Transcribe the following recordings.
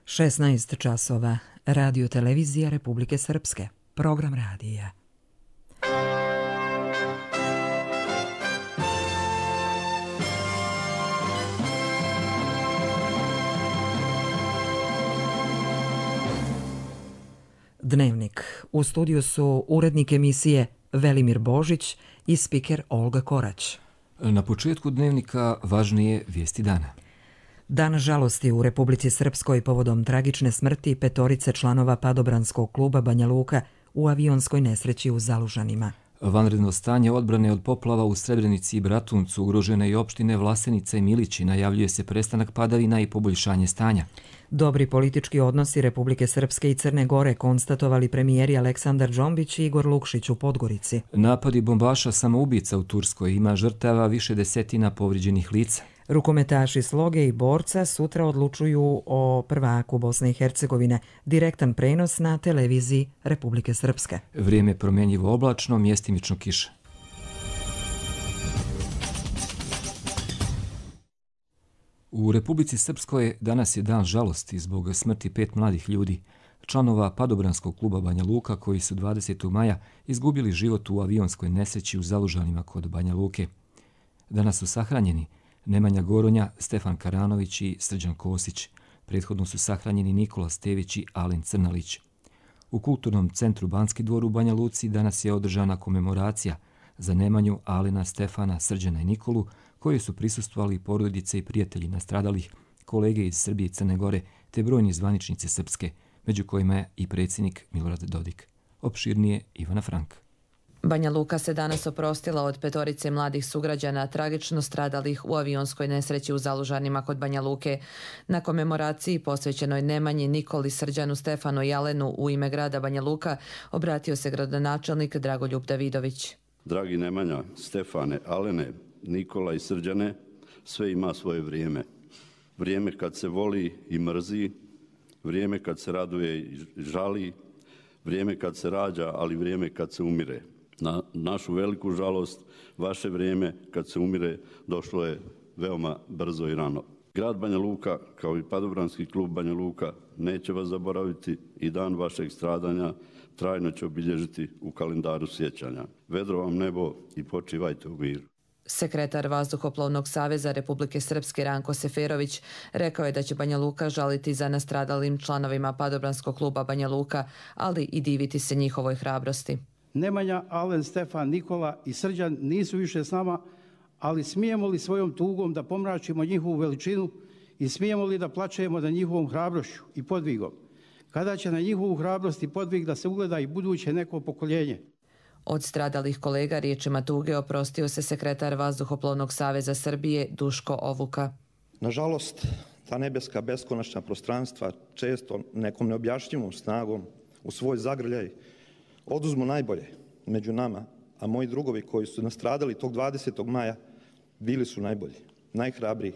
16 časova. Radio televizija Republike Srpske. Program radija. Dnevnik. U studiju su urednik emisije Velimir Božić i spiker Olga Korać. Na početku dnevnika važnije vijesti dana. Dan žalosti u Republici Srpskoj povodom tragične smrti 5 članova padobranskog kluba Banja Luka u avionskoj nesreći u Zalužanima. Vanredno stanje odbrane od poplava u Srebrenici i Bratuncu, ugrožene i opštine Vlasenica i Milići, najavljuje se prestanak padavina i poboljšanje stanja. Dobri politički odnosi Republike Srpske i Crne Gore konstatovali premijeri Aleksandar Džombić i Igor Lukšić u Podgorici. Napadi bombaša samoubica u Turskoj, ima žrtava, više desetina povrijeđenih lica. Rukometaši Sloge i Borca sutra odlučuju o prvaku Bosne i Hercegovine. Direktan prenos na televiziji Republike Srpske. Vrijeme promjenjivo oblačno, mjestimično kiša. U Republici Srpskoj danas je dan žalosti zbog smrti 5 mladih ljudi, članova padobranskog kluba Banja Luka, koji su 20. maja izgubili život u avionskoj nesreći u Zalužanima kod Banja Luke. Danas su sahranjeni Nemanja Goronja, Stefan Karanović i Srđan Kosić. Prethodno su sahranjeni Nikola Stević i Alen Crnalić. U Kulturnom centru Banski dvor u Banja Luci danas je održana komemoracija za Nemanju, Alena, Stefana, Srđana i Nikolu, koji su prisustvovali porodice i prijatelji nastradalih, kolege iz Srbije i Crne Gore, te brojni zvaničnici srpske, među kojima je i predsjednik Milorad Dodik. Opširnije Ivana Frank. Banja Luka se danas oprostila od 5 mladih sugrađana tragično stradalih u avionskoj nesreći u Zalužanima kod Banja Luke. Na komemoraciji posvećenoj Nemanji, Nikoli, Srđanu, Stefanu i Alenu u ime grada Banja Luka obratio se gradonačelnik Dragoljub Davidović. Dragi Nemanja, Stefane, Alene, Nikola i Srđane, sve ima svoje vrijeme. Vrijeme kad se voli i mrzi, vrijeme kad se raduje i žali, vrijeme kad se rađa, ali vrijeme kad se umire. Na našu veliku žalost, vaše vrijeme kad se umire došlo je veoma brzo i rano. Grad Banja Luka, kao i padobranski klub Banja Luka, neće vas zaboraviti i dan vašeg stradanja trajno će obilježiti u kalendaru sjećanja. Vedro vam nebo i počivajte u miru. Sekretar Vazduhoplovnog saveza Republike Srpske Ranko Seferović rekao je da će Banja Luka žaliti za nastradalim članovima padobranskog kluba Banja Luka, ali i diviti se njihovoj hrabrosti. Nemanja, Alen, Stefan, Nikola i Srđan nisu više s nama, ali smijemo li svojom tugom da pomračimo njihovu veličinu i smijemo li da plačemo nad njihovom hrabrošću i podvigom? Kada će na njihovu hrabrost i podvig da se ugleda i buduće neko pokoljenje? Od stradalih kolega riječima tuge oprostio se sekretar Vazduhoplovnog saveza Srbije Duško Ovuka. Nažalost, ta nebeska beskonačna prostranstva često nekom neobjašnjivom snagom u svoj zagrljaj oduzmu najbolje među nama, a moji drugovi koji su nastradali tog 20. maja bili su najbolji, najhrabriji,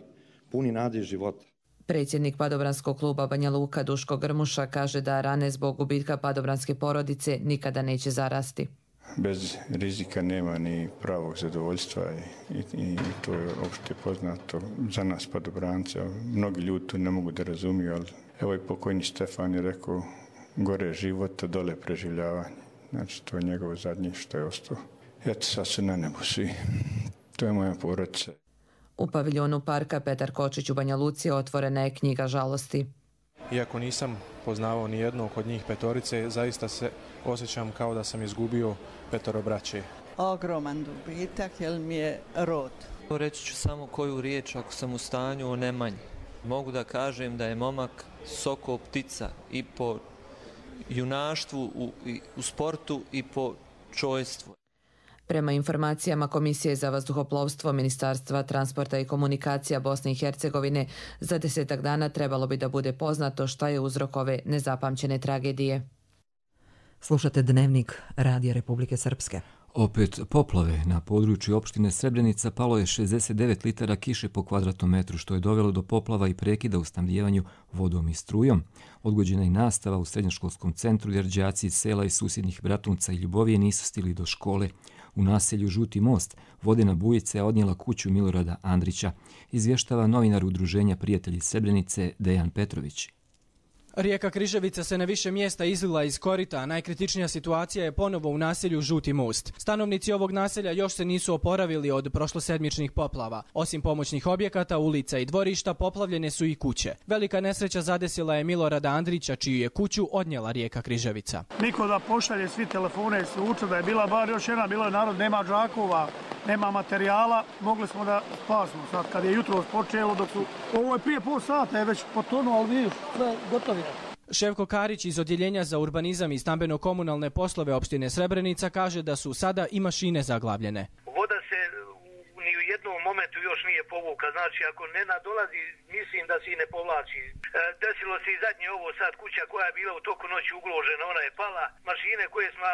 puni nade i života. Predsjednik padobranskog kluba Banja Luka Duško Grmuša kaže da rane zbog gubitka padobranske porodice nikada neće zarasti. Bez rizika nema ni pravog zadovoljstva i to je opšte poznato za nas padobranca. Mnogi ljudi to ne mogu da razumiju, ali evo i pokojni Stefan je rekao gore života, dole preživljavanje. Znači, to je njegovo zadnje što je ostao. Eto, sad su na nebu svi. To je moja porodica. U paviljonu parka Petar Kočić u Banja Luci otvorena je knjiga žalosti. Iako nisam poznavao ni jednog od njih 5, zaista se osjećam kao da sam izgubio 5 braće. Ogroman dobitak, jer mi je rod. Reći ću samo koju riječ ako sam u stanju o Nemanji. Mogu da kažem da je momak soko ptica i po junaštvu u sportu i po čojstvu. Prema informacijama Komisije za vazduhoplovstvo Ministarstva transporta i komunikacija Bosne i Hercegovine, za 10 dana trebalo bi da bude poznato šta je uzrok ove nezapamćene tragedije. Slušate dnevnik Radija Republike Srpske. Opet poplave. Na području opštine Srebrenica palo je 69 litara kiše po kvadratnom metru, što je dovelo do poplava i prekida u snabdijevanju vodom i strujom. Odgođena i nastava u srednjoškolskom centru, jer đaci iz sela i susjednih Bratunca i Ljubovije nisu stigli do škole. U naselju Žuti most vodena bujica je odnijela kuću Milorada Andrića, izvještava novinar Udruženja prijatelji Srebrenice Dejan Petrović. Rijeka Križevica se na više mjesta izlila iz korita, a najkritičnija situacija je ponovo u naselju Žuti most. Stanovnici ovog naselja još se nisu oporavili od prošlosedmičnih poplava. Osim pomoćnih objekata, ulica i dvorišta, poplavljene su i kuće. Velika nesreća zadesila je Milorada Andrića, čiju je kuću odnijela rijeka Križevica. Niko da pošalje, svi telefone su učili da je bila bar još jedna, bilo je narod, nema džakova, nema materijala, mogli smo da spasimo. Sad kad je jutro počelo, dok su, ovo je prije pol sata, je već potonuo, ali vidiš, sve gotovi. Ševko Karić iz Odjeljenja za urbanizam i stambeno-komunalne poslove opštine Srebrenica kaže da su sada i mašine zaglavljene. Voda se ni u jednom momentu još nije povuka, znači ako ne nadolazi, mislim da se i ne povlači. Desilo se i zadnje ovo sad, kuća koja je bila u toku noći ugložena, ona je pala. Mašine koje smo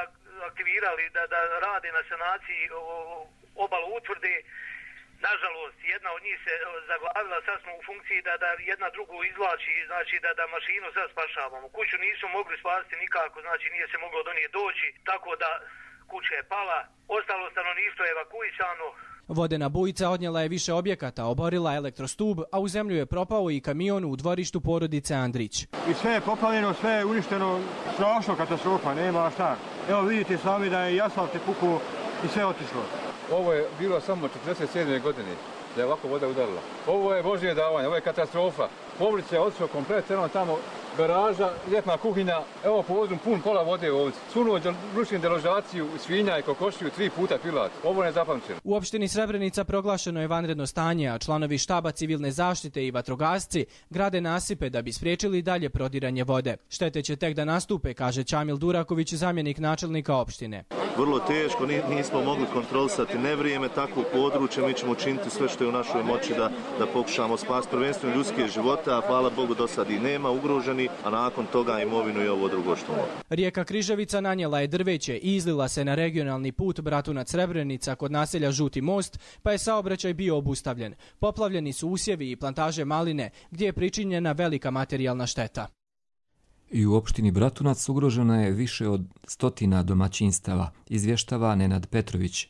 aktivirali da rade na sanaciji obalu utvrde, nažalost, jedna od njih se zaglavila, sad smo u funkciji da jedna drugu izvlači, znači da mašinu sad spašavamo. Kuću nisu mogli spasiti nikako, znači nije se moglo do nje doći, tako da kuća je pala, ostalo stanovništvo je evakuisano. Vodena bujica odnijela je više objekata, oborila elektrostub, a u zemlju je propao i kamion u dvorištu porodice Andrić. I sve je poplavljeno, sve je uništeno, strašno katastrofa, nema šta. Evo vidite sami da je i asfalt je pukao i sve otišlo. Ovo je bilo samo 47. godine da je ovako voda udarila. Ovo je Božje davanje, ovo je katastrofa. Povrće je otišlo kompletno, tamo garaža, ljetna kuhinja, evo povozom pun kola vode ovdje. Sunuo ručnu deložaciju svinja i kokošiju 3 puta pilat. Ovo ne zapamćeno. U opštini Srebrenica proglašeno je vanredno stanje, a članovi štaba civilne zaštite i vatrogasci grade nasipe da bi spriječili dalje prodiranje vode. Štete će tek da nastupe, kaže Čamil Duraković, zamjenik načelnika opštine. Vrlo teško, nismo mogli kontrolisati nevrijeme takvog područja, mi ćemo učiniti sve što je u našoj moći da pokušamo spasiti prvenstveno ljudske živote, a hvala Bogu do sad i nema ugroženi, a nakon toga imovinu i ovo drugo što mogu. Rijeka Križevica nanijela je drveće i izlila se na regionalni put Bratunac-Srebrenica kod naselja Žuti most, pa je saobraćaj bio obustavljen. Poplavljeni su usjevi i plantaže maline, gdje je pričinjena velika materijalna šteta. I u opštini Bratunac ugroženo je više od 100 domaćinstava, izvještava Nenad Petrović.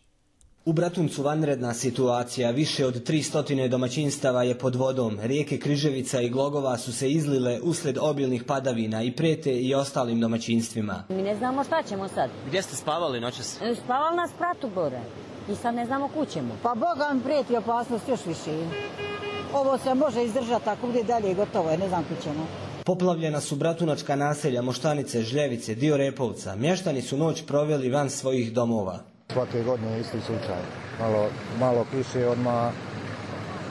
U Bratuncu vanredna situacija, više od 300 domaćinstava je pod vodom. Rijeke Križevica i Glogova su se izlile uslijed obilnih padavina i prete i ostalim domaćinstvima. Mi ne znamo šta ćemo sad. Gdje ste spavali noćas? Spavali na spratu gore i sad ne znamo kud ćemo. Pa Boga mi prijeti opasnost još više. Ovo se može izdržati, ako bude dalje gotovo je, ne znam kud ćemo. Poplavljena su bratunačka naselja Moštanice, Žljevice, dio Repovca. Mještani su noć proveli van svojih domova. Svake godine je isti slučaj. Malo kiše, odmah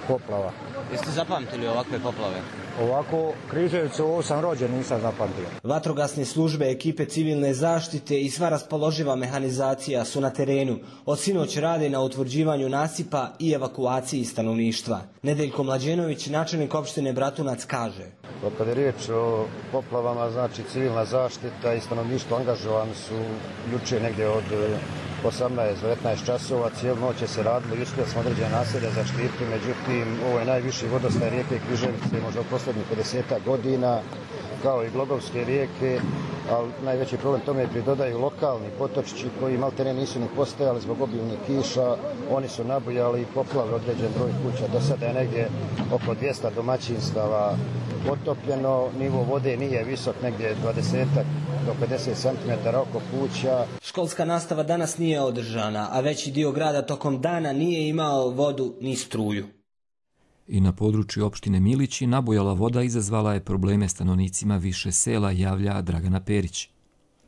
poplava. Jeste zapamtili ovakve poplave? Ovako, Križevcu, ovo sam rođen, nisam zapamtio. Vatrogasne službe, ekipe civilne zaštite i sva raspoloživa mehanizacija su na terenu. Od sinoć rade na utvrđivanju nasipa i evakuaciji stanovništva. Nedeljko Mlađenović, načelnik opštine Bratunac, kaže. Kad je riječ o poplavama, znači civilna zaštita i stanovništvo angažovani su juče negdje od 18-19 časova, cijelu noć je se radilo i uspjeli smo određene naselja zaštiti, međutim ovo je najviši vodostaj rijeke Križevice možda u posljednjih 50 godina, kao i Glogovske rijeke, ali najveći problem tome pridodaju lokalni potočići koji maltene nisu ni postojali zbog obilnih kiša, oni su nabujali i poplavili određen broj kuća. Do sada je negdje oko 200 domaćinstava potopljeno, nivo vode nije visok, negdje 20 do 50 cm oko kuća. Školska nastava danas nije održana, a veći dio grada tokom dana nije imao vodu ni struju. I na području opštine Milići nabujala voda izazvala je probleme stanovnicima više sela, javlja Dragana Perić.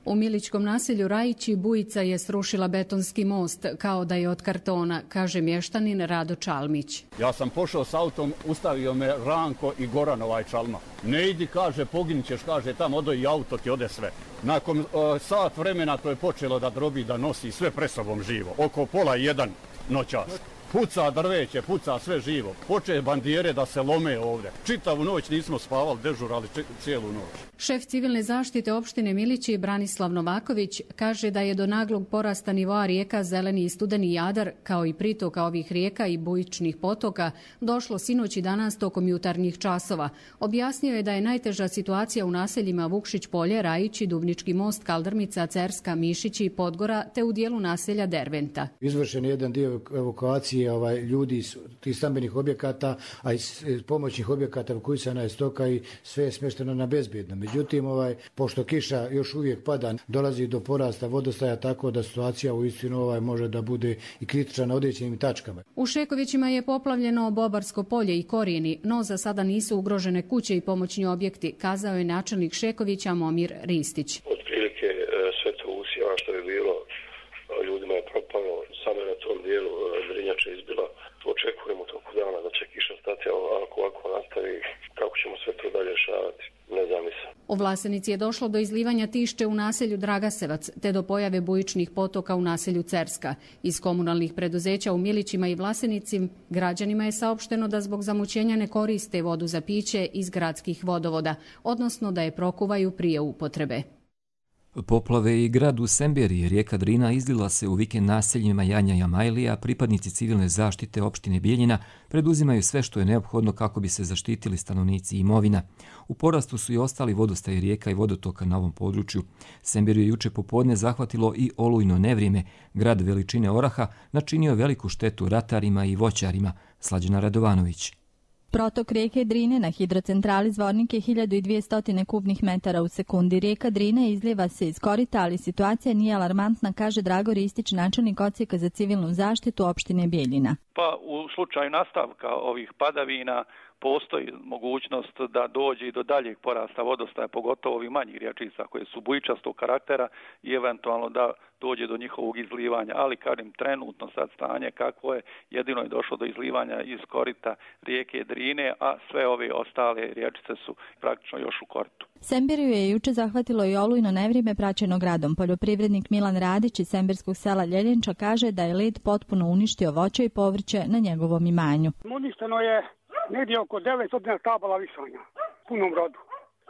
U milićkom naselju Rajići bujica je srušila betonski most kao da je od kartona, kaže mještanin Rado Čalmić. Ja sam pošao s autom, ustavio me Ranko i Goran Čalma. Ne idi, kaže, poginit ćeš, kaže, tamo odo i auto ti ode sve. Nakon sat vremena to je počelo da drobi, da nosi sve presobom živo. Oko 12:30 noćas. Puca drveće, puca sve živo. Poče bandijere da se lome ovdje. Čitavu noć nismo spavali, dežurali cijelu noć. Šef civilne zaštite opštine Milići Branislav Novaković kaže da je do naglog porasta nivoa rijeka Zeleni i Studeni Jadar, kao i pritoka ovih rijeka i bujičnih potoka, došlo sinoć i danas tokom jutarnjih časova. Objasnio je da je najteža situacija u naseljima Vukšić polje, Rajići, Dubnički most, Kaldrmica, Cerska, Mišići i Podgora, te u dijelu naselja Derventa. Izvršen je jedan dio evakuacije ljudi iz tih stambenih objekata, a iz pomoćnih objekata evakuisana je stoka i sve je smješteno na bezbjedno. Međutim, pošto kiša još uvijek pada, dolazi do porasta vodostaja, tako da situacija uistinu može da bude i kritična na određenim tačkama. U Šekovićima je poplavljeno Bobarsko polje i korijeni, no za sada nisu ugrožene kuće i pomoćni objekti, kazao je načelnik Šekovića Momir Ristić. Otprilike sve to usjeva što je bilo, ljudima je propalo, samo na tom dijelu Drinjača izbila. Očekujemo toku dana da će kiša stati, ali ako ovako nastavi, kako ćemo sve to dalje rješavati, ne znam nisam. U Vlasenici je došlo do izlivanja Tišče u naselju Dragasevac, te do pojave bujičnih potoka u naselju Cerska. Iz komunalnih preduzeća u Milićima i Vlasenici građanima je saopšteno da zbog zamućenja ne koriste vodu za piće iz gradskih vodovoda, odnosno da je prokuvaju prije upotrebe. Poplave i grad u Semberiji, rijeka Drina izlila se u vikend naseljima Janja i Amajlija, pripadnici civilne zaštite opštine Bijeljina preduzimaju sve što je neophodno kako bi se zaštitili stanovnici i imovina. U porastu su i ostali vodostaji rijeka i vodotoka na ovom području. Semberiju je juče popodne zahvatilo i olujno nevrijeme. Grad veličine oraha načinio veliku štetu ratarima i voćarima. Slađana Radovanović. Protok rijeke Drine na hidrocentrali Zvornik je 1200 kubnih metara u sekundi. Rijeka Drine izlijeva se iz korita, ali situacija nije alarmantna, kaže Drago Ristić, načelnik odsjeka za civilnu zaštitu opštine Bijeljina. Pa u slučaju nastavka ovih padavina postoji mogućnost da dođe i do daljeg porasta vodostaja, pogotovo ovih manjih rječica koje su bujičastog karaktera i eventualno da dođe do njihovog izlivanja. Ali kažem, trenutno sad stanje kakvo je, jedino je došlo do izlivanja iz korita rijeke Drine, a sve ove ostale rječice su praktično još u koritu. Semberiju je juče zahvatilo i olujno nevrijeme praćeno gradom. Poljoprivrednik Milan Radić iz semberskog sela Ljeljenča kaže da je led potpuno uništio voće i povrće na njegovom imanju. Uništeno je negdje oko 900 stabala višanja u punom rodu.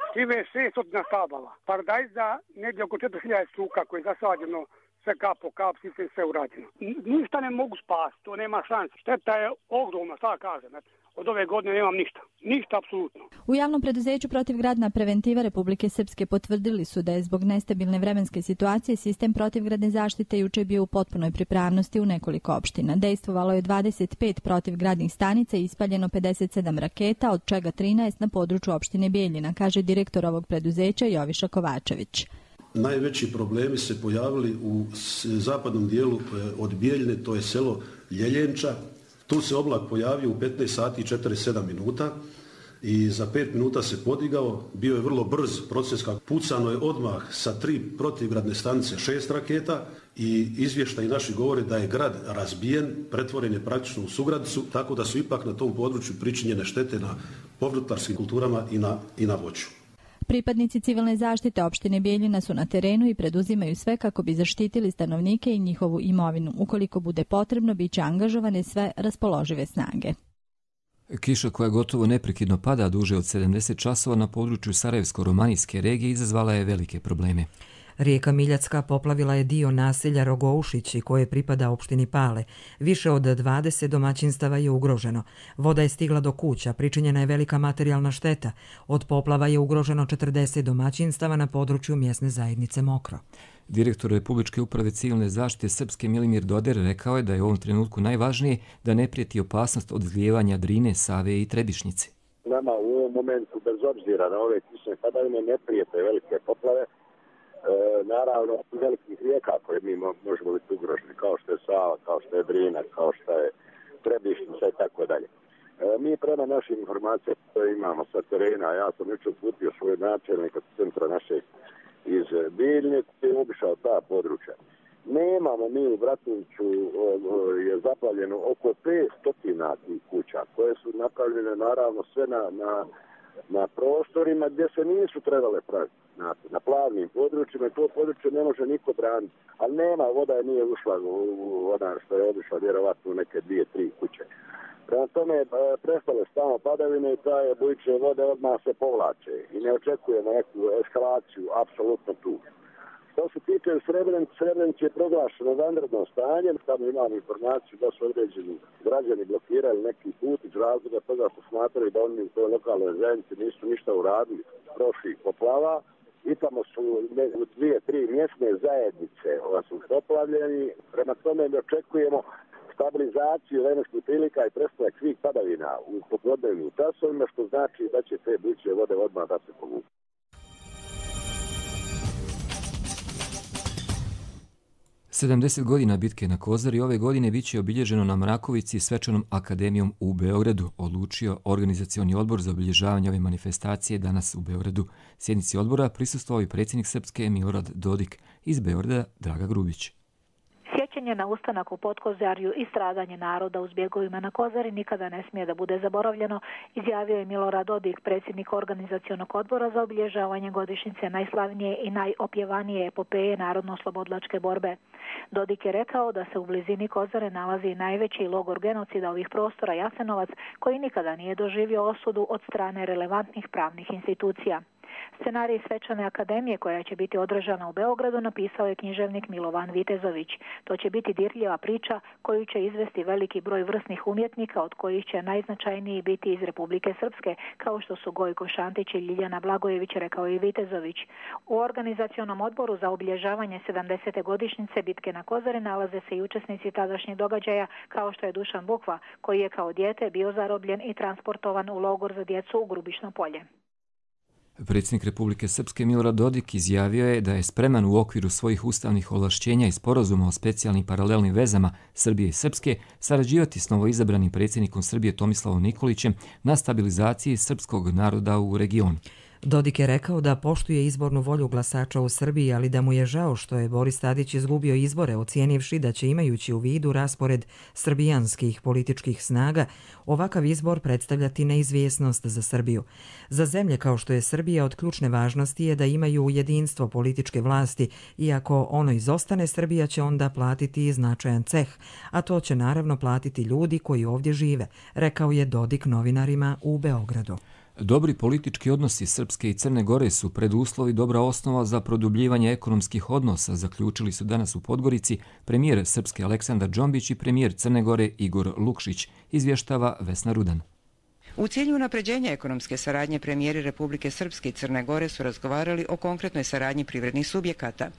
Štive 600 stabala. Paradajza negdje oko 4000 struka koje je zasađeno, sve kap po kap, sve urađeno. Ništa ne mogu spasti, to nema šanse. Šteta je ogromna, šta kažem. Od ove godine nemam ništa. Ništa apsolutno. U javnom preduzeću protivgradna preventiva Republike Srpske potvrdili su da je zbog nestabilne vremenske situacije sistem protivgradne zaštite juče bio u potpunoj pripravnosti u nekoliko opština. Dejstvovalo je 25 protivgradnih stanica i ispaljeno 57 raketa, od čega 13 na području opštine Bijeljina, kaže direktor ovog preduzeća Joviša Kovačević. Najveći problemi se pojavili u zapadnom dijelu od Bijeljine, to je selo Ljeljenča. Tu se oblak pojavio u 15 sati i 47 minuta i za 5 minuta se podigao. Bio je vrlo brz proces, kako pucano je odmah sa 3 protivgradne stanice 6 raketa i izvještaji naši govore da je grad razbijen, pretvoren je praktično u sugradicu, tako da su ipak na tom području pričinjene štete na povrtlarskim kulturama i na voću. Pripadnici civilne zaštite opštine Bijeljina su na terenu i preduzimaju sve kako bi zaštitili stanovnike i njihovu imovinu. Ukoliko bude potrebno, bit će angažovane sve raspoložive snage. Kiša koja gotovo neprekidno pada duže od 70 časova na području Sarajevsko-Romanijske regije izazvala je velike probleme. Rijeka Miljacka poplavila je dio naselja Rogoušići koje pripada opštini Pale. Više od 20 domaćinstava je ugroženo. Voda je stigla do kuća, pričinjena je velika materijalna šteta. Od poplava je ugroženo 40 domaćinstava na području mjesne zajednice Mokro. Direktor Republičke uprave civilne zaštite Srpske Milimir Doder rekao je da je u ovom trenutku najvažnije da ne prijeti opasnost od izlijevanja Drine, Save i Trebišnjice. Nama u ovom momentu, bez obzira na ove kišne padavine, ne prijete velike poplave. Naravno, velikih rijeka koje mi možemo biti ugroženi, kao što je Sava, kao što je Drina, kao što je Trebišnjica i tako dalje. Mi prema našim informacijama koje imamo sa terena, ja sam jučer uputio svoj načelnik od centra našeg iz Bijeljine koji je obišao ta područja. Nemamo mi u Bratuliću je zaplavljeno oko 500 tih kuća koje su napravljene naravno sve na prostorima gdje se nisu trebale praviti. Na plavnim područjima i to područje ne može niko braniti. Ali nema, voda je nije ušla u ona što je obišla vjerovatno u neke 2-3 kuće. Prema tome prestale stalno padavine i ta bujične vode odmah se povlače i ne očekujemo neku eskalaciju, apsolutno tu. Što se tiče Srebrenice je proglašeno vanredno stanje, tamo imam informaciju da su određeni građani blokirali neki put iz razloga toga što smatraju da oni u toj lokalnoj zajednici nisu ništa uradili prošlih poplava. I tamo su 2-3 mjesne zajednice su poplavljeni, prema tome ne očekujemo stabilizaciju vremenskih prilika i prestanak svih padavina u popodnevnim časovima, što znači da će te bujične vode odmah da se povuku. Sedamdeset godina bitke na Kozari ove godine biće obilježeno na Mrakovici svečanom akademijom u Beogradu, odlučio organizacioni odbor za obilježavanje ove manifestacije danas u Beogradu. Sjednici odbora prisustvovao i predsjednik Srpske Milorad Dodik, iz Beograda Draga Grubić. Sjećanje na ustanak u Podkozarju i stradanje naroda u zbjegovima na Kozari nikada ne smije da bude zaboravljeno, izjavio je Milorad Dodik, predsjednik organizacionog odbora za obilježavanje godišnjice najslavnije i najopjevanije epopeje narodno-oslobodilačke borbe. Dodik je rekao da se u blizini Kozare nalazi najveći logor genocida ovih prostora Jasenovac, koji nikada nije doživio osudu od strane relevantnih pravnih institucija. Scenarij svečane akademije koja će biti održana u Beogradu napisao je književnik Milovan Vitezović. To će biti dirljiva priča koju će izvesti veliki broj vrsnih umjetnika, od kojih će najznačajniji biti iz Republike Srpske, kao što su Gojko Šantić i Ljiljana Blagojević, rekao je Vitezović. U organizacionom odboru za obilježavanje 70. godišnjice bitke na Kozari nalaze se i učesnici tadašnjih događaja, kao što je Dušan Bukva, koji je kao dijete bio zarobljen i transportovan u logor za djecu u Grubišno Polje. Predsjednik Republike Srpske Milorad Dodik izjavio je da je spreman u okviru svojih ustavnih ovlašćenja i sporazuma o specijalnim paralelnim vezama Srbije i Srpske sarađivati s novoizabranim predsjednikom Srbije Tomislavom Nikolićem na stabilizaciji srpskog naroda u regionu. Dodik je rekao da poštuje izbornu volju glasača u Srbiji, ali da mu je žao što je Boris Tadić izgubio izbore, ocijenivši da će, imajući u vidu raspored srbijanskih političkih snaga, ovakav izbor predstavljati neizvjesnost za Srbiju. Za zemlje kao što je Srbija od ključne važnosti je da imaju jedinstvo političke vlasti, i ako ono izostane, Srbija će onda platiti značajan ceh, a to će naravno platiti ljudi koji ovdje žive, rekao je Dodik novinarima u Beogradu. Dobri politički odnosi Srpske i Crne Gore su preduslovi dobra osnova za produbljivanje ekonomskih odnosa, zaključili su danas u Podgorici premijer Srpske Aleksandar Džombić i premijer Crne Gore Igor Lukšić, izvještava Vesna Rudan. U cilju unapređenja ekonomske saradnje premijeri Republike Srpske i Crne Gore su razgovarali o konkretnoj saradnji privrednih subjekata.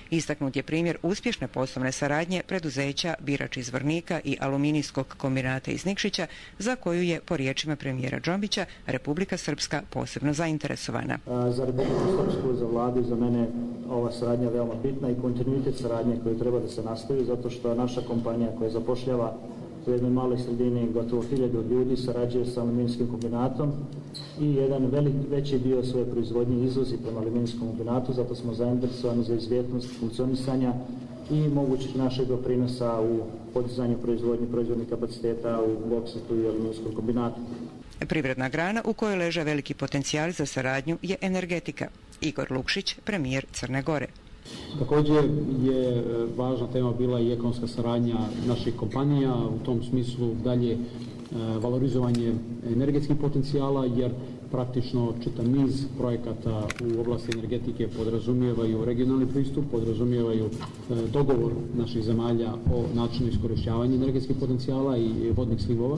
Istaknut je primjer uspješne poslovne saradnje preduzeća Birač iz Zvornika i Aluminijskog kombinata iz Nikšića, za koju je, po riječima premijera Džombića, Republika Srpska posebno zainteresovana. Za Republiku Srpsku, za vladu i za mene ova saradnja je veoma bitna i kontinuitet saradnje koju treba da se nastavi, zato što naša kompanija koja zapošljava u jednoj maloj sredini gotovo 1000 ljudi sarađuje sa aluminijskim kombinatom i jedan veći dio svoje proizvodnje izvozi prema aluminijskom kombinatu, zato smo zainteresovani za izvjetnost funkcionisanja i mogućih našeg doprinosa u podizanju proizvodnih kapaciteta u boksetu i aluminijskom kombinatu. Privredna grana u kojoj leže veliki potencijal za saradnju je energetika. Igor Lukšić, premijer Crne Gore. Također je važna tema bila i ekonomska saradnja naših kompanija, u tom smislu dalje valorizovanje energetskih potencijala, jer praktično čitav niz projekata u oblasti energetike podrazumijevaju regionalni pristup, podrazumijevaju dogovor naših zemalja o načinu iskorištavanja energetskih potencijala i vodnih slivova.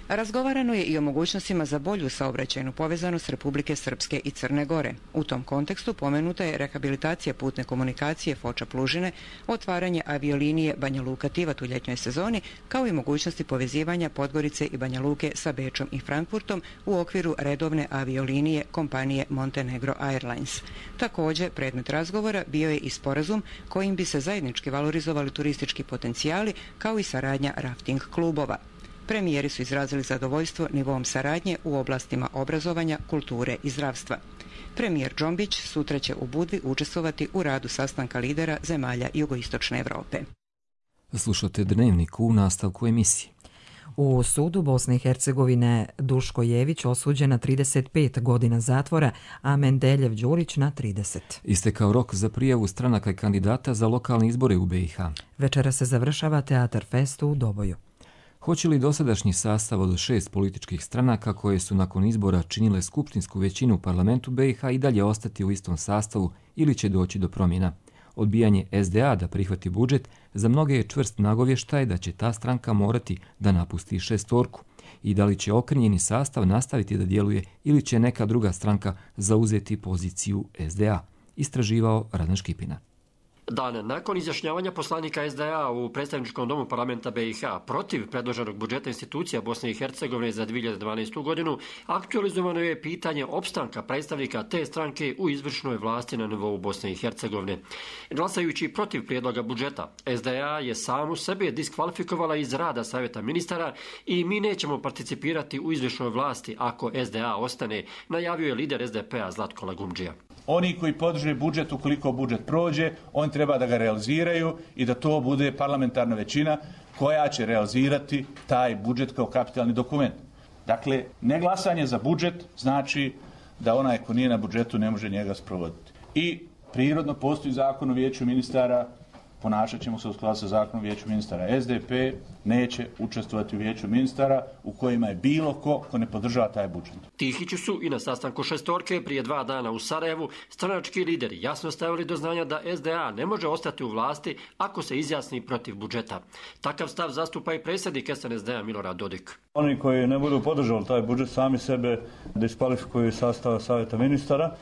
Razgovarano je i o mogućnostima za bolju saobraćajnu povezanost Republike Srpske i Crne Gore. U tom kontekstu pomenuta je rehabilitacija putne komunikacije Foča-Plužine, otvaranje aviolinije Banja Luka-Tivat u ljetnjoj sezoni, kao i mogućnosti povezivanja Podgorice i Banja Luke sa Bečom i Frankfurtom u okviru redovne aviolinije kompanije Montenegro Airlines. Također, predmet razgovora bio je i sporazum kojim bi se zajednički valorizovali turistički potencijali, kao i saradnja rafting klubova. Premijeri su izrazili zadovoljstvo nivom saradnje u oblastima obrazovanja, kulture i zdravstva. Premijer Džombić sutra će u Budvi učestvovati u radu sastanka lidera zemalja jugoistočne Evrope. Slušate Dnevnik u nastavku emisije. U sudu Bosne i Hercegovine Duško Jević osuđen na 35 godina zatvora, a Mendeljev Đurić na 30. Istekao rok za prijavu stranaka i kandidata za lokalne izbore u BiH. Večera se završava Teatar Fest u Doboju. Hoće li dosadašnji sastav od 6 političkih stranaka koje su nakon izbora činile skupštinsku većinu u parlamentu BiH i dalje ostati u istom sastavu ili će doći do promjena? Odbijanje SDA da prihvati budžet za mnoge je čvrst nagovještaj da će ta stranka morati da napusti šestorku. I da li će okrnjeni sastav nastaviti da djeluje ili će neka druga stranka zauzeti poziciju SDA? Istraživao Radan Škipina. Dan nakon izjašnjavanja poslanika SDA u predstavničkom domu parlamenta BiH protiv predloženog budžeta institucija Bosne i Hercegovine za 2012. godinu, aktualizovano je pitanje opstanka predstavnika te stranke u izvršnoj vlasti na nivou Bosne i Hercegovine. Glasajući protiv prijedloga budžeta, SDA je samu sebe diskvalifikovala iz rada Savjeta ministara i mi nećemo participirati u izvršnoj vlasti ako SDA ostane, najavio je lider SDP-a Zlatko Lagumdžija. Oni koji podrže budžet, ukoliko budžet prođe, on treba da ga realiziraju i da to bude parlamentarna većina koja će realizirati taj budžet kao kapitalni dokument. Dakle, neglasanje za budžet znači da onaj ko nije na budžetu ne može njega sprovoditi. I prirodno postoji zakon o vijeću ministara, ponašat ćemo se u skladu sa zakonom o vijeću ministara. SDP neće učestvovati u vijeću ministara u kojima je bilo ko ne podržava taj budžet. Tihiću su i na sastanku šestorke prije 2 dana u Sarajevu stranački lideri jasno stavili do znanja da SDA ne može ostati u vlasti ako se izjasni protiv budžeta. Takav stav zastupa i predsjednik SNSD-a Milorad Dodik. Oni koji ne budu podržali taj budžet sami sebe diskvalifikuju iz sastava Savjeta ministara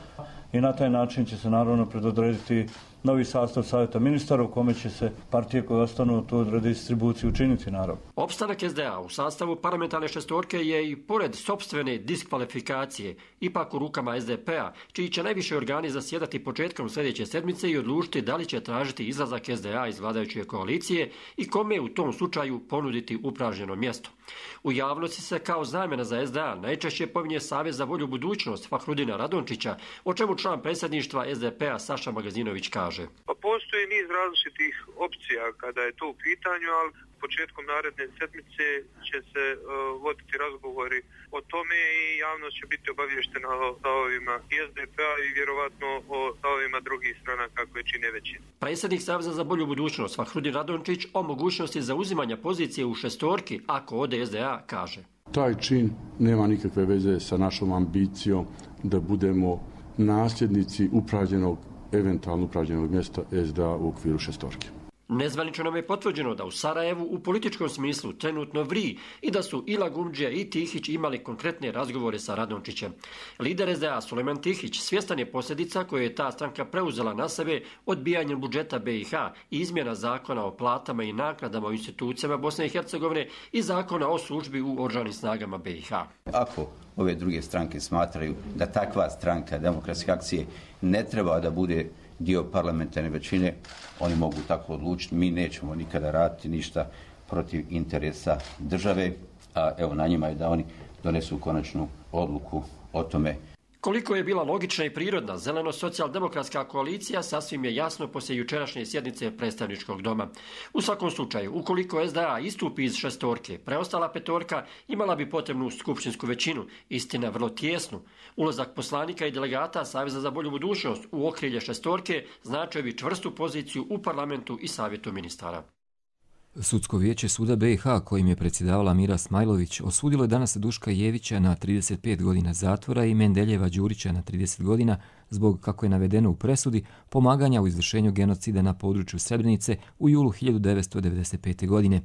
i na taj način će se naravno predodrediti novi sastav Savjeta ministara u kome će se partije koje ostanu tu redistribuciju učiniti naravno. Opstanak SDA u sastavu parlamentarne šestorke je i pored sopstvene diskvalifikacije ipak u rukama SDP-a, čiji će najviše organi zasjedati početkom sljedeće sedmice i odlučiti da li će tražiti izlazak SDA iz vladajuće koalicije i kome u tom slučaju ponuditi upražnjeno mjesto. U javnosti se kao zamjena za SDA najčešće pominje Savez za bolju budućnost Fahrudina Radončića, o čemu član predsjedništva SDP-a Saša Magazinović kaže. Pa postoji niz različitih opcija kada je to u pitanju, ali početkom naredne sedmice će se voditi razgovori o tome i javnost će biti obavještena o stavovima i SDP-a i vjerovatno o stavovima drugih stranaka koje čine većinu. Predsjednik Saveza za bolju budućnost Fahrudin Radončić o mogućnosti zauzimanja pozicije u šestorki ako ode SDA kaže. Taj čin nema nikakve veze sa našom ambicijom da budemo nasljednici eventualno upražnjenog mjesta SDA u okviru šestorke. Nezvanično nam je potvrđeno da u Sarajevu u političkom smislu trenutno vri i da su i Lagumdžija i Tihić imali konkretne razgovore sa Radončićem. Lider SDA Sulejman Tihić svjestan je posljedica koje je ta stranka preuzela na sebe odbijanjem budžeta BiH i izmjena zakona o platama i naknadama u institucijama Bosne i Hercegovine i zakona o službi u oružanim snagama BiH. Ako ove druge stranke smatraju da takva stranka demokratske akcije ne treba da bude dio parlamentarne većine, oni mogu tako odlučiti. Mi nećemo nikada raditi ništa protiv interesa države, a evo na njima je da oni donesu konačnu odluku o tome. Koliko je bila logična i prirodna zeleno-socijaldemokratska koalicija sasvim je jasno poslije jučerašnje sjednice predstavničkog doma. U svakom slučaju, ukoliko SDA istupi iz šestorke, preostala petorka imala bi potrebnu skupštinsku većinu, istina vrlo tijesnu. Ulazak poslanika i delegata Saveza za bolju budućnost u okrilje šestorke značio bi čvrstu poziciju u parlamentu i savjetu ministara. Sudsko vijeće suda BiH, kojim je predsjedavala Mira Smajlović, osudilo je danas Duška Jevića na 35 godina zatvora i Mendeljeva Đurića na 30 godina zbog, kako je navedeno u presudi, pomaganja u izvršenju genocida na području Srebrenice u julu 1995. godine.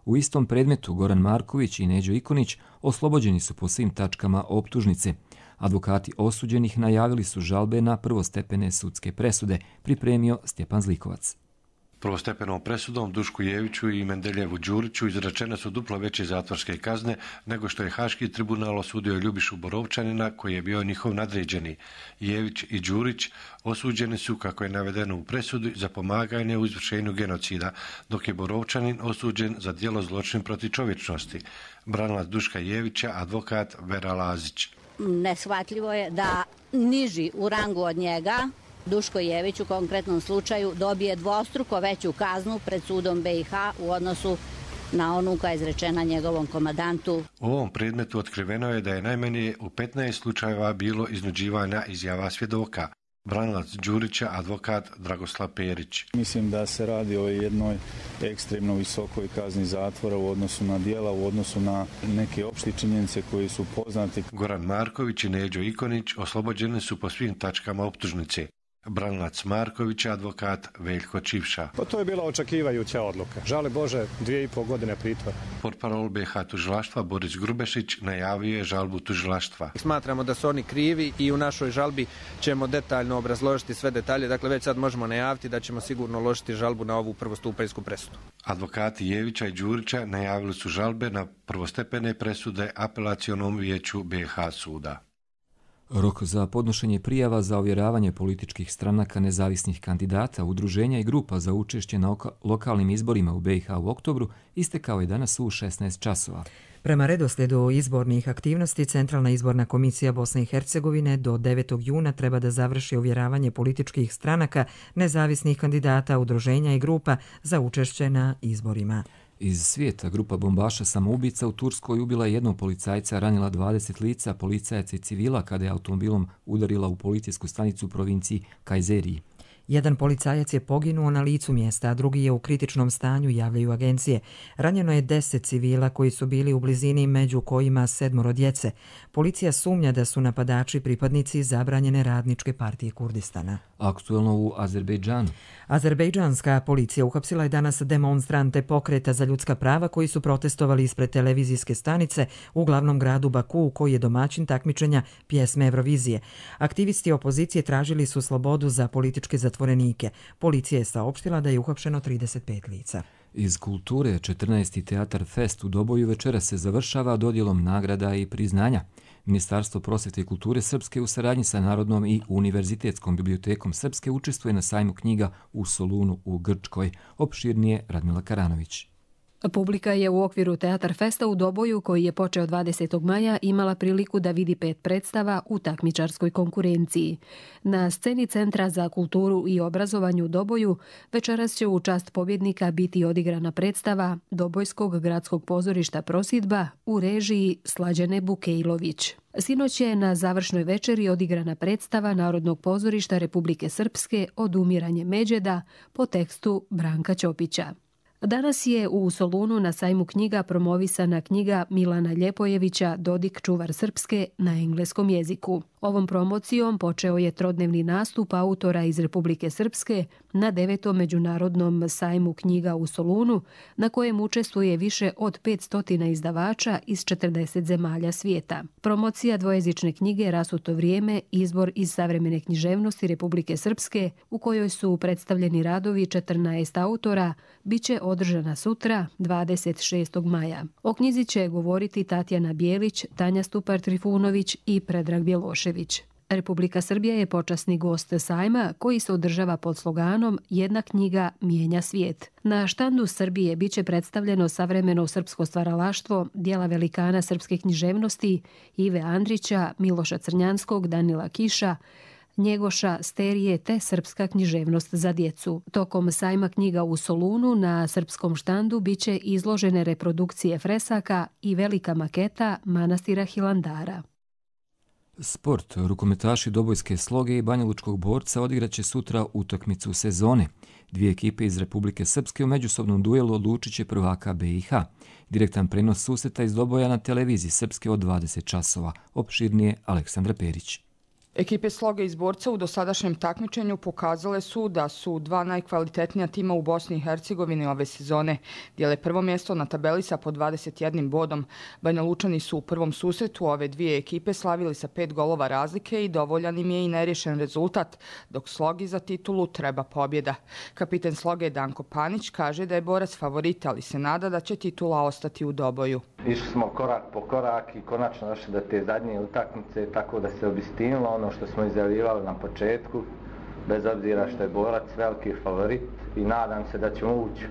U istom predmetu Goran Marković i Neđo Ikonić oslobođeni su po svim tačkama optužnice. Advokati osuđenih najavili su žalbe na prvostepene sudske presude, pripremio Stjepan Zlikovac. Prvostepenom presudom Dušku Jeviću i Mendeljevu Đuriću izrečene su duplo veće zatvorske kazne nego što je Haški tribunal osudio Ljubišu Borovčanina koji je bio njihov nadređeni. Jević i Đurić osuđeni su, kako je navedeno u presudi, za pomaganje u izvršenju genocida, dok je Borovčanin osuđen za djelo zločin protiv čovječnosti. Branilac Duška Jevića, advokat Vera Lazić. Neshvatljivo je da niži u rangu od njega Duško Jević u konkretnom slučaju dobije dvostruko veću kaznu pred sudom BiH u odnosu na onu koja je izrečena njegovom komandantu. U ovom predmetu otkriveno je da je najmanje u 15 slučajeva bilo iznuđivanja izjava svjedoka. Branilac Đurića, advokat Dragoslav Perić. Mislim da se radi o jednoj ekstremno visokoj kazni zatvora u odnosu na djela, u odnosu na neke opšte činjenice koji su poznati. Goran Marković i Neđo Ikonić oslobođeni su po svim tačkama optužnice. Branilac Marković, advokat Veljko Čivša. Pa to je bila očekivajuća odluka. Žali Bože, 2,5 godine pritvora. Portparol BiH tužilaštva Boris Grubešić najavio je žalbu tužilaštva. Smatramo da su oni krivi i u našoj žalbi ćemo detaljno obrazložiti sve detalje. Dakle, već sad možemo najaviti da ćemo sigurno uložiti žalbu na ovu prvostupanjsku presudu. Advokati Jevića i Đurića najavili su žalbe na prvostepene presude Apelacionom vijeću BiH suda. Rok za podnošenje prijava za ovjeravanje političkih stranaka, nezavisnih kandidata, udruženja i grupa za učešće na lokalnim izborima u BiH u oktobru istekao je danas u 16 časova. Prema redoslijedu izbornih aktivnosti, Centralna izborna komisija Bosne i Hercegovine do 9. juna treba da završi ovjeravanje političkih stranaka, nezavisnih kandidata, udruženja i grupa za učešće na izborima. Iz svijeta grupa bombaša samoubica u Turskoj ubila jednog policajca, ranila 20 lica, policajaca i civila kada je automobilom udarila u policijsku stanicu u provinciji Kajzeriji. Jedan policajac je poginuo na licu mjesta, a drugi je u kritičnom stanju, javljaju agencije. Ranjeno je 10 civila koji su bili u blizini, među kojima 7 djece. Policija sumnja da su napadači pripadnici zabranjene radničke partije Kurdistana. Aktuelno u Azerbejdžanu. Azerbejdžanska policija uhapsila je danas demonstrante pokreta za ljudska prava koji su protestovali ispred televizijske stanice u glavnom gradu Baku, koji je domaćin takmičenja pjesme Eurovizije. Aktivisti opozicije tražili su slobodu za političke zatvorenike. Policija je saopštila da je uhapšeno 35 lica. Iz kulture 14. Teatar Fest u Doboju večera se završava dodjelom nagrada i priznanja. Ministarstvo prosvjete i kulture Srpske u saradnji sa Narodnom i Univerzitetskom bibliotekom Srpske učestvuje na sajmu knjiga u Solunu u Grčkoj. Opširnije Radmila Karanović. Publika je u okviru Teatar Festa u Doboju, koji je počeo 20. maja, imala priliku da vidi 5 predstava u takmičarskoj konkurenciji. Na sceni Centra za kulturu i obrazovanje u Doboju večeras će u čast pobjednika biti odigrana predstava Dobojskog gradskog pozorišta Prosidba u režiji Slađane Bukejlović. Sinoć je na završnoj večeri odigrana predstava Narodnog pozorišta Republike Srpske Odumiranje Međeda po tekstu Branka Ćopića. Danas je u Solunu na sajmu knjiga promovisana knjiga Milana Ljepojevića Dodik čuvar Srpske na engleskom jeziku. Ovom promocijom počeo je trodnevni nastup autora iz Republike Srpske na 9. međunarodnom sajmu knjiga u Solunu, na kojem učestvuje više od 500 izdavača iz 40 zemalja svijeta. Promocija dvojezične knjige Rasuto vrijeme, izbor iz savremene književnosti Republike Srpske, u kojoj su predstavljeni radovi 14 autora, biće održana sutra, 26. maja. O knjizi će govoriti Tatjana Bijelić, Tanja Stupar-Trifunović i Predrag Bjelošević. Republika Srbija je počasni gost sajma koji se održava pod sloganom Jedna knjiga mijenja svijet. Na štandu Srbije biće predstavljeno savremeno srpsko stvaralaštvo, djela velikana srpske književnosti Ive Andrića, Miloša Crnjanskog, Danila Kiša, Njegoša, Sterije te srpska književnost za djecu. Tokom sajma knjiga u Solunu na srpskom štandu biće izložene reprodukcije fresaka i velika maketa manastira Hilandara. Sport. Rukometaši Dobojske Sloge i Banjalučkog Borca odigraće sutra utakmicu sezone. 2 ekipe iz Republike Srpske u međusobnom duelu odlučit će prvaka BiH. Direktan prenos susreta iz Doboja na televiziji Srpske od 20 časova. Opširnije Aleksandra Perić. Ekipe Sloge iz Borca u dosadašnjem takmičenju pokazale su da su dva najkvalitetnija tima u Bosni i Hercegovini ove sezone. Dijele prvo mjesto na tabeli sa po 21 bodom. Banjalučani su u prvom susretu ove dvije ekipe slavili sa 5 golova razlike i dovoljan im je i nerješen rezultat, dok Slogi za titulu treba pobjeda. Kapiten Sloge Danko Panić kaže da je Borac favorit, ali se nada da će titula ostati u Doboju. Išli smo korak po korak i konačno došli do te zadnje utakmice, tako da se obistinilo ono što smo izjavljivali na početku, bez obzira što je Borac veliki favorit, i nadam se da ćemo ući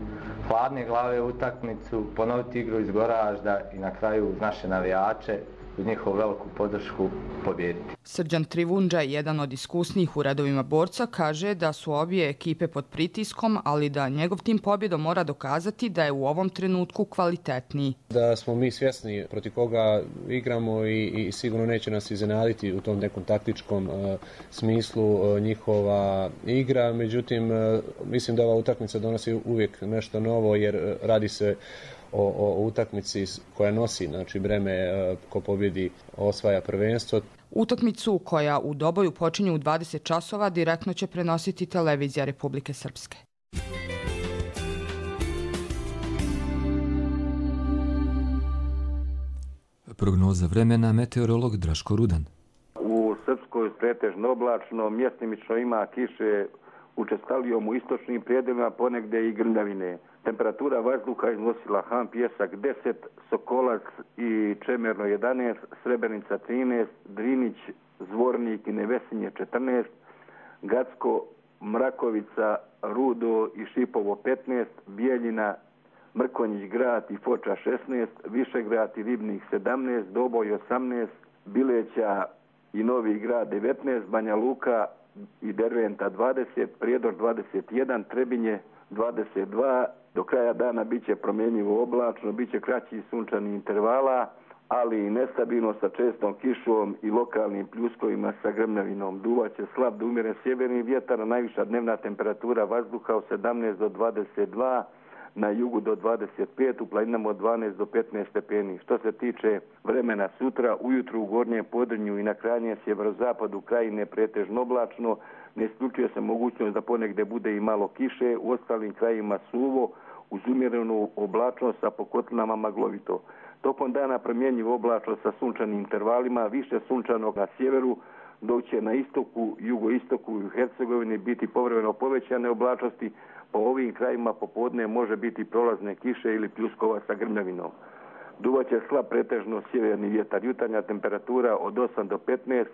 hladne glave u utakmicu, ponoviti igru iz Goražda i na kraju uz naše navijače, uz njihovu veliku podršku pobijediti. Srđan Trivundža, jedan od iskusnijih u redovima Borca, kaže da su obje ekipe pod pritiskom, ali da njegov tim pobjedom mora dokazati da je u ovom trenutku kvalitetniji. Da smo mi svjesni protiv koga igramo i sigurno neće nas iznenaditi u tom nekom taktičkom smislu njihova igra. Međutim, mislim da ova utakmica donosi uvijek nešto novo jer radi se o utakmici koja nosi, znači breme ko pobjedi osvaja prvenstvo. Utakmicu koja u Doboju počinje u 20 časova direktno će prenositi televizija Republike Srpske. Prognoza vremena, meteorolog Draško Rudan. U Srpskoj pretežno oblačno, mjestimično ima kiše učestalijom u istočnim prijedelima, ponegdje i grmljavine. Temperatura vazduha iznosila Han Pjesak 10, Sokolac i Čemerno 11, Srebrenica 13, Drinić, Zvornik i Nevesinje 14, Gacko, Mrakovica, Rudo i Šipovo 15, Bijeljina, Mrkonjić grad i Foča 16, Višegrad i Ribnik 17, Doboj 18, Bileća i Novi grad 19, Banja Luka i Derventa 20, Prijedor 21, Trebinje 22. Do kraja dana bit će promjenjivo oblačno, bit će kraći sunčani intervala, ali i nestabilno sa čestom kišom i lokalnim pljuskovima sa grmljavinom. Duvaće slab do umjeren sjeverni vjetar, najviša dnevna temperatura vazduha od 17 do 22, na jugu do 25, u planinama od 12 do 15 stepeni. Što se tiče vremena sutra, ujutru u gornjem Podrinju i na krajnjem sjeverozapadu krajine pretežno oblačno, ne isključuje se mogućnost da ponegdje bude i malo kiše, u ostalim krajima suvo, uz umjerenu oblačnost, a po kotlinama maglovito. Tokom dana promjenjivo oblačno sa sunčanim intervalima, više sunčanog na sjeveru, dok će na istoku, jugoistoku i u Hercegovini biti povremeno povećane oblačnosti. Po ovim krajima popodne može biti prolazne kiše ili pljuskova sa grmljavinom. Duvaće slab pretežno sjeverni vjetar, jutarnja temperatura od 8 do 15,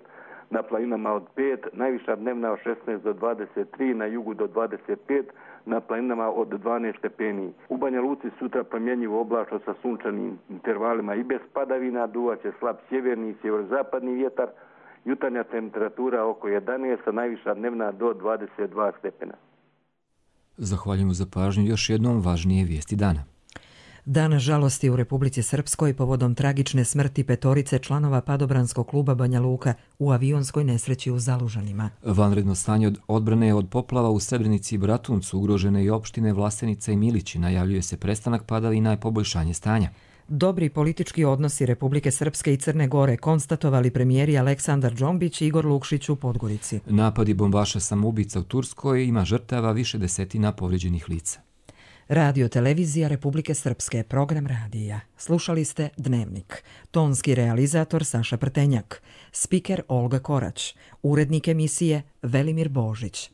na planinama od 5, najviša dnevna od 16 do 23, na jugu do 25, na planinama od 12 stepeni. U Banja Luci sutra promjenjivo oblačno sa sunčanim intervalima i bez padavina, duvaće slab sjeverni i sjeverozapadni vjetar, jutarnja temperatura oko 11, a najviša dnevna do 22 stepena. Zahvaljujem za pažnju, još jednom važnije vijesti dana. Dan žalosti u Republici Srpskoj povodom tragične smrti 5 članova padobranskog kluba Banja Luka u avionskoj nesreći u Zalužanima. Vanredno stanje od odbrane od poplava u Srebrenici i Bratuncu, ugrožene i opštine Vlasenica i Milići, najavljuje se prestanak padavina i poboljšanje stanja. Dobri politički odnosi Republike Srpske i Crne Gore konstatovali premijeri Aleksandar Džombić i Igor Lukšić u Podgorici. Napadi bombaša samoubica u Turskoj, ima žrtava, više desetina povrijeđenih lica. Radio televizija Republike Srpske, program radija. Slušali ste Dnevnik. Tonski realizator Saša Prtenjak. Spiker Olga Korać. Urednik emisije Velimir Božić.